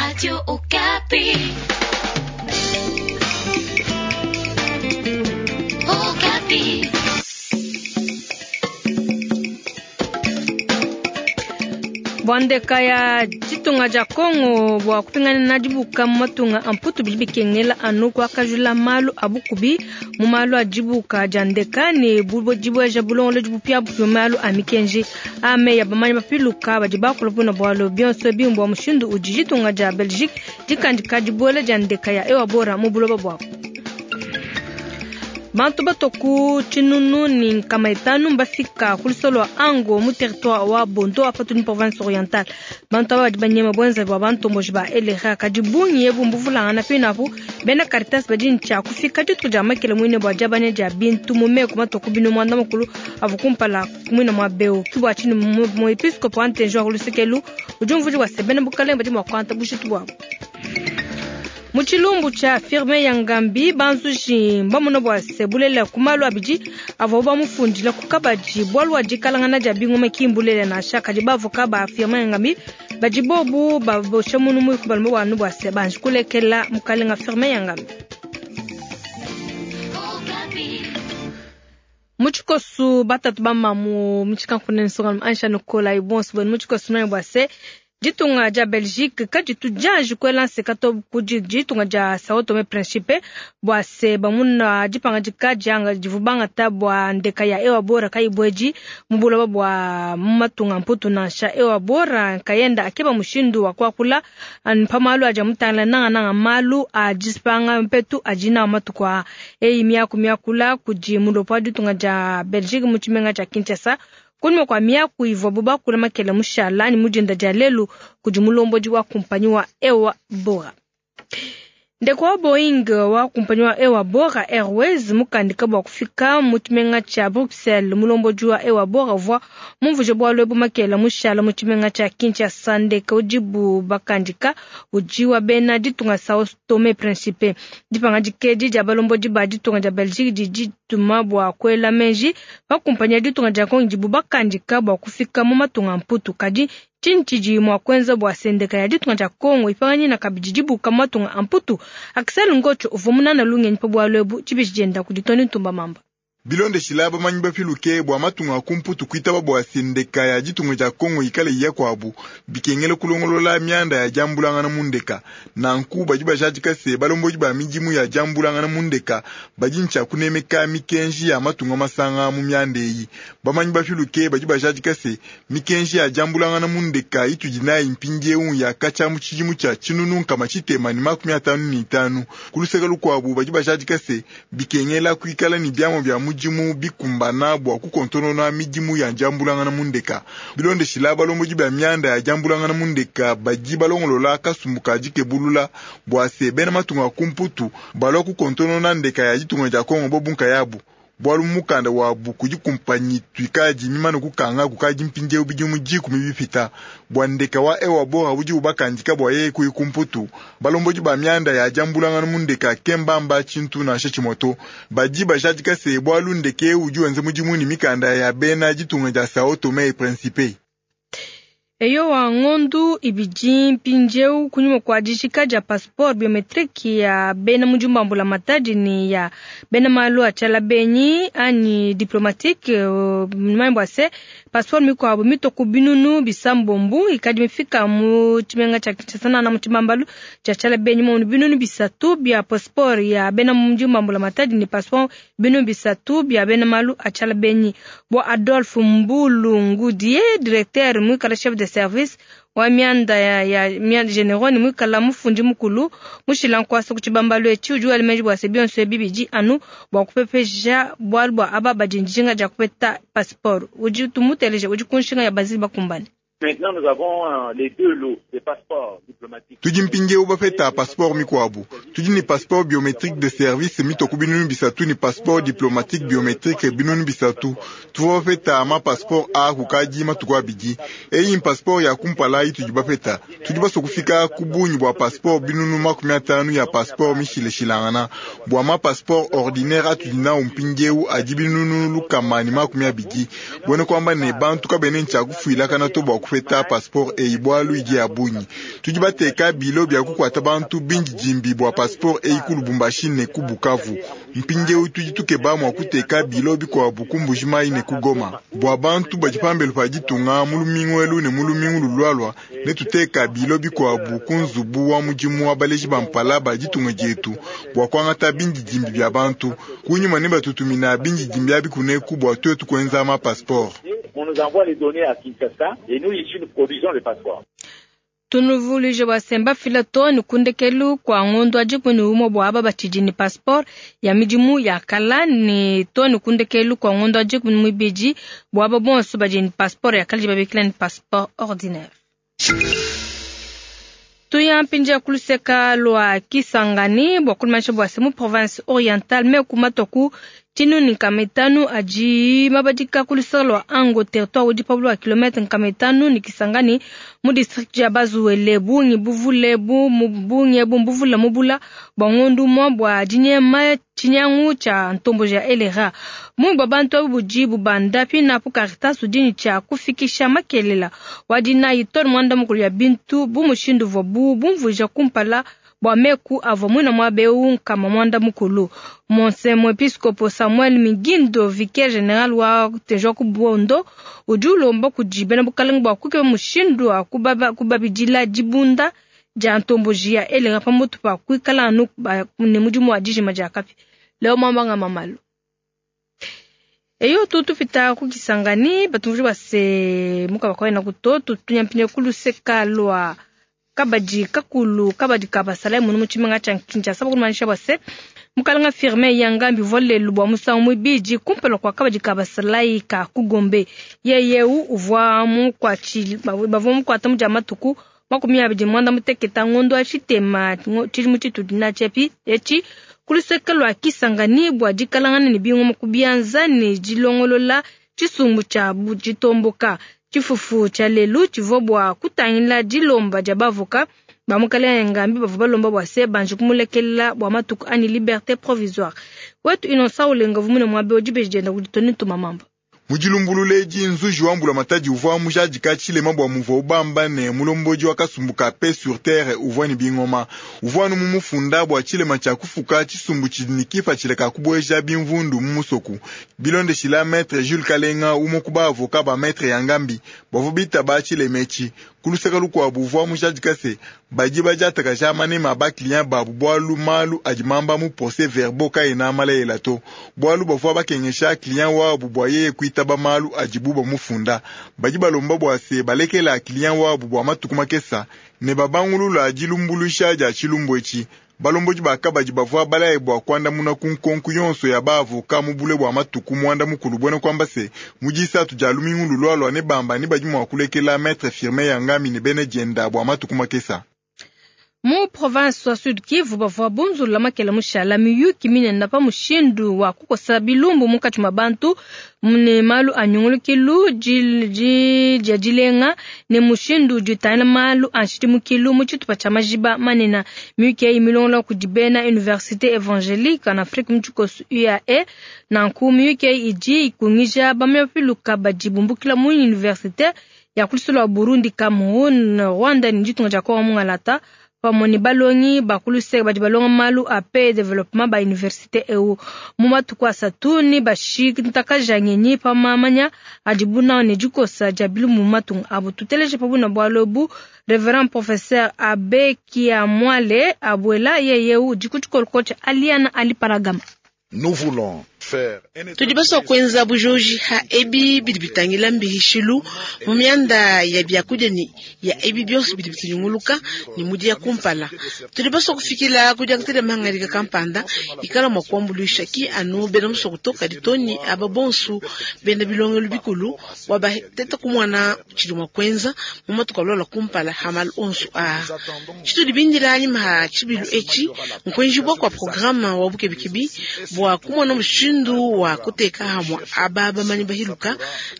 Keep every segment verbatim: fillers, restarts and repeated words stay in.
Radio Okapi. Okapi. Bua ndeka ya ditunga dia Kongo bua kupingana dibuka mu matunga a Mputu bidi bikengela anu kuakajula malu a bukubi mu malu a dibuka dia ndeka ne dibueja bulongolodi bupiabupia mu malu a mikenji a meyi a bamanyi bapiluka badi bakula buna bualu bionso ebi mbua mushindu udi ditunga dia Belgique dikandika dibuela dia ndeka ya Ewabora mu buloba buabu. Bantu batua ku tshinunu ne nkama itanu mbafika ku lusolo lua Ango mu territoire wa Bondo wa patudi mu province orientale. Bantu aba badi banyema buenzavi bua bantomboji ba L R A kadi bungi ebu mbuvulangana pinapu bena Caritas badi ne tshia kufika dituku dia makele muine bua diabanya dia bintu mu meku matua ku binu muanda mukulu avua kumpala muine mua beu. Ke bua tshinyi muepiskopo wa Ntenji wa ku luseke udi umvuija bua se bena bukalenge badi mua kuangata bujitu buabu. Mu tshilumbu tshia Firmin Yangambi banzuji mbamona bua se bulelela ku malu abidi avuabu bamufundila ku kabadi bualu bua dikalangana dia bingoma ki mbulelela nansha kadi bavoka ba Firmin Yangambi badi bobu babosha munu muiku balomba bua anu bua se banji kulekela mukalenga Firmin Yangambi. Mu tshikosu batatu bamamu mu tshikankunene nsongalume Aisha Nikolai bonso benu mu tshikosu manya bua se ditunga dia Belgique kaditu dianji kuela nseka to kudi ditunga dia Sao Tome Principe bua se bamuna dipangadika dianga divu bangata bua ndeka ya Ewabora kayibuedi mu buloba bua mu matunga Mputu nansha. Ewabora nkayenda akeba mushindu wa kuakula pa malu adi amutangila nangananga malu a disipanga mpetu adi nawu matuku aa. Eyi miaku miakula kudi mulopo wa ditunga dia Belgique mu tshimenga tshia Kinshasa kunyima kua miaku ivuabu bakula makele mushala ne mu dinda dia lelu kudi mulombodi wa kumpanyi wa Ewabora. Ndeko wa Boeing wa kumpanyi wa Ewabora Airways mukandika bua kufika mu tshimenga tshia Bruxelles. Mulombodi wa Ewabora uvua mumvuje bualu ebu makele mushala mu tshimenga tshia Kinshasa. Ndeke udibu bakandika udi wa bena ditunga Sao Tome Principe. Dipangadika edi dia balombodi ba ditunga dia Belgique didi dituma bua kuela meji pa kumpanyi ya ditunga dia Congo idibu bakandika bua kufika mu matunga a Mputu. Kadi tshinyi tshidi mua kuenza bua sendeka ya ditunga dia Congo ipanganyina kabidi dibuka mu matunga a Mputu? Axel Ngotsho uvua munana lungenyi pa bualu ebu tshibishi dienda kudi Tony Ntumba Mamba. Bilondeshila bamanyi bapiluke bua matunga a ku Mputu kuitaba bua sendeka ya ditunga dia Kongo ikale iya kuabu bikengela kulongolola mianda ya diambulangana mu ndeka. Nanku badi bajadika se balombodi ba midimu ya diambulangana mu ndeka badi ntshia kunemeka mikenji ya matunga masanga mu mianda eyi. Bamanyi bapiluke badi bajadika se mikenji ya diambulangana mu ndeka itudi nayi mpindieu ya katshia mu tshidimu tshia tshinunu nkama tshitema ne makumi atanu ne itanu. Ku luseke lukuabu badi bajadika se bikengela kuikala ne biamua bia mudimu bikumbana bua kukontonona midimu ya diambulangana mu ndeka. Bilondeshila balombodi ba mianda ya diambulangana mu ndeka badi balongolola kasumbu ka dikebulula bua se bena matunga a ku Mputu balua kukontonona ndeka ya ditunga dia Kongo bo bunkayabu. Bualu mukanda wabu kudi kumpanyi tuikadi mimane kukanga kukadi mpindieu bidimu dikumi bipita bua ndeka wa Ewabora udi ubakandika bua yeye kuyi ku Mputu. Balombodi ba mianda ya diambulangana mu ndeka kembamba tshintu nansha tshimue to. Badi bajadika se bualu ndeke udi wenza mudimu ne mikanda ya bena ditunga dia Sao Tome e Principe. Eyowa ngondu ibidi mpindieu kunyima kua dijika dia passeport biometrique ya bena mudimu wa mbulamatadi ne ya bena malu a tshiala benyi anyi diplomatique mmanyi bua se passeport mikuabu mitua ku binunu bisambombu ikadi mifika mu tshimenga tshia Kinshasa nana mu tshibambalu tshia tshiala benyi mu binunu bisatu bia passeport ya bena mudimu wa mbulamatadi ne passeport binunu bisatu bia bena malu a tshiala benyi. Bua Adolphe Mbulu Ngudie directeur muikala chef de service wa mianda ya, ya mianda general ni mwikala mufundi mukulu mushila nkwasa ku tshibambalu etshi udi wela meji bua se bionso ebi bidi anu bua kupepeja bualu bua aba badi njinga dia kupeta passeport. Udi tumuteleja udi ku nshinga ya bazili bakumbane. Maintenant, nous avons les deux lots des passeports diplomatiques. Tudi mpindieu bapeta passeport mikuabu. Tudi ne passeport biométrique de service mitoku binunu bisatu ne passeport diplomatique biométrique binunu bisatu. Tuvua bapeta ma passeport a kukadi matuku abidi. Eyi passeport ya kumpala itudi bapeta. Tudi basua kufika ku bungi bua passeport binunu makumi atanu ya passeport mishilashilangana. Bua ma passeport ordinaire atudi nawu mpindieu adi binunu lukama ne makumi abidi. Buena kuamba ne bantu kabene ntshia kufuilakana to bua kupeta passeport eyi bualu idi ya bungi. Tudi bateka bilo bya kukwata bantu bindidimbi bwa passeport eyi ku Lubumbashi ne ku Bukavu. Mpindieu tudi tukeba mua kuteka bilo bikuabu ku Mbujimayi ne ku Goma. Bua bantu badi pambelu pa ditunga mu lumingu elu ne mu lumingu lulualua ne tuteka bilo bikuabu ku nzubu wa mudimu wa baleji ba mpala ba ditunga dietu bua kuangata bindidimbi bya bantu. Kunyima ne batutumina bindidimbi abi kuneku bua tuetu kuenza ma passeport. On nous envoie les données à Kinshasa et nous ici nous produisons les passeports. Tunuvuluije bua semba fila to ne kundekelu kua ngondo wa dikumi ne umue bua aba batshidi ne passeport ya midimu ya kala ne to ne kundekelu kua ngondo wa dikumi ne muibidi bua aba bonso badi ne passeport ya kala babikila ne passeport ordinaire. Tuya mpindia kuluseka lwa Kisangani bua kulimanyisha bua se mu province orientale me kumatoku tshinuni nkama itanu adi mabadika kuluseka lwa Ango territoire udi pa bulwa kilometre nkama itanu ni Kisangani mu district ya Bazuele bungi buvule bu bungi bu mbuvula mubula bua ngondu mwa bua dinyema tshinyangu tshia ntombo ya elera mungi bua bantu abu budi bubanda pinapu Caritas udi tshia kufikisha makelela wadina itone mwanda mukulu ya bintu bu mushindu vua bu bumvuija kumpala bua meku avua mwina mwabeu nkama mwanda mukulu. Monse mwepiskopo Samuel Migindo vicaire general wa tejo ku Bondo udi ulomba kudi bena bukalenge bua kukeba mushindu wa kubabidila dibunda dia ntomboji ya elera pamutu pa kuikala anu ne mudimu wa dijima dia kapi. Leo mwambanga mamalu eyo tutupita ku Kisangani batumvuje base muka bakwena kuto tunyampinya kuluseka lwa kabadi kakulu kabadi kabasala munu muchimenga cha Kinshasa bakumanyisha base mukalanga firme yangambi volelu bwa musangu mwibiji kumpela kwa kabadi kabasalai ka kugombe yeyeu uvwa mukwachi bavwa mukwata muja matuku makumi abidi mwanda muteketa ngondo achitema chili muchitu dina chepi echi kuluseka lwa Kisangani bwa dikalangana ne bingoma kubianza ne dilongolola chisumbu cha bujitomboka chifufu cha lelu chivua bwa kutangila dilomba dia bavoka bamukale ngambi bavua balomba bwa se banji kumulekelela bwa matuku ani liberté provisoire wetu inosa ulenga vumune mwabe odibeji dienda kuditoni tumamamba mudilumbululeji nzuji wa mbula matadi uvua mujadika tshilema bua muvua ubamba ne mulomboji wa kasumbu ka paix sur terre uvua ne bingoma uvua anu mumufunda bua tshilema tshia kufuka tshisumbu tshidi ne kipatshila kubueja bimvundu mu musoku bilondeshila maître Jules Kalenga umue ku baavoka ba maître Yangambi bavua bitaba tshilema etshi kuluseka lukuabu uvua mujadika se badi badiatakaja manema ba client babu bwalu malu adi mamba mu procès verbaux kaena malayela to bwalu bavua bakengesha client wabu bua yeye kuitaba malu adibu bamufunda badi balomba bua se balekela client wabu bua matuku makesa ne babangulula dilumbuluisha dia tshilumbu etshi balomboji bakabadi bavua balaye bua kuandamuna ku nkonku yonso ya baavoka mu bule bua matuku muanda mukulu buena kuamba se mu disatu dia lumingu lulualua ne bamba ne badi mua kulekela maître Firmin Yangambi ne bena dienda bua matuku makesa. Mu province wa Sud Kivu bavua bunzula makela mushala miyuki minene pa mushindu wa kukosa bilumbu munkatshi mua bantu ne malu a nyungulukilu dia dilenga ne mushindu udi utangila malu a nshidimukilu mu tshitupa tshia majiba manene. Miyuki eyi milongola kudi bena Université Évangélique en Afrique mu tshikoso U A E. Nanku miyuki eyi idi ikungija bamyapiluka badi bumbukila mu université ya kulusolo wa Burundi, Cameroun, Rwanda ne ditunga dia Kongo mungalata pamue ne balongi bakuluse badi balonga malu a paix développement ba université eu mu matuku asatu ne bashintakaja ngenyi pa mamanya adi buna ne dikosa dia bilumbu mu matunga abu. Tuteleje pa buna bualu ebu Reverend Professeur Abe Kiamwale Abuela yeye udi ku tshikolo tshia Aliana Ali Paragama. Nous voulons faire tudi basua kuenza bujoji ha ebi bidi bitangila mbihishilu mu mianda ya biakudia ni ya ebi bionso bidi bitunyunguluka ni mudi ya kumpala. Tudi basua kufikila kudiangatela mahangadika kampanda ikala mua kuambuluisha ki anu bena musua kutoka ditoni aba bonsu bena bilongelu bikulu bua bateta kumwana tshidi mua kuenza mu matuku alola kumpala ha malu onsu aa. Tshitudi bindila anyima ha tshibilu etshi nkuenjibua kua programa wa bukebikibi bua kumona mushindu wa kuteka hamwa aba bamanyi bahiluka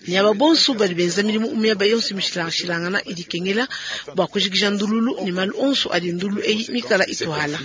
ni aba bonsu badi benza milimu miaba yonso mishilangana idi kengela bua kujikija ndululu ni malu onsu adi ndululu eyi mikala ituhala.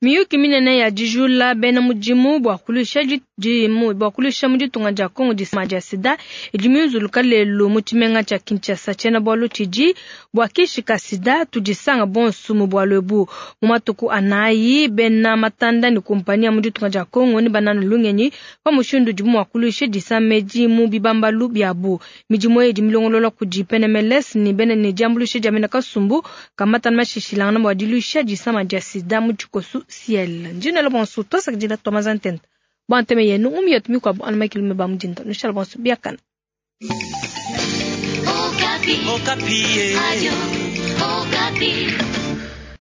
Miyuki minene ya dijula bena mudimu bua kulusha Di bua kuluisha mu ditunga dia Kongo disama dia sida idi miunzuluka lelu mu tshimenga tshia Kinshasa. Tshiena-bualu tshidi bua kishi ka sida tudisanga bonso mu bualu ebu. Mu matuku anayi bena matanda ne kumpani ya mu ditunga dia Kongo ne banana lungenyi pa mushindu udibu mua kuluisha disama edi mu bibambalu biabu. Midimu eyi idi milongolola kudi P N M L S ne bena ne diambuluisha dia bena kasumbu kamatana mashishilangana bua diluisha disama dia sida mu tshikosu ciel. Ndinelo bonso twasakidila twamazantenta. Bwanteme yenu umiyatu mikwabu anamakilume ba mudinda nushala bonso biakana. Okapi. Okapi. Radio Okapi.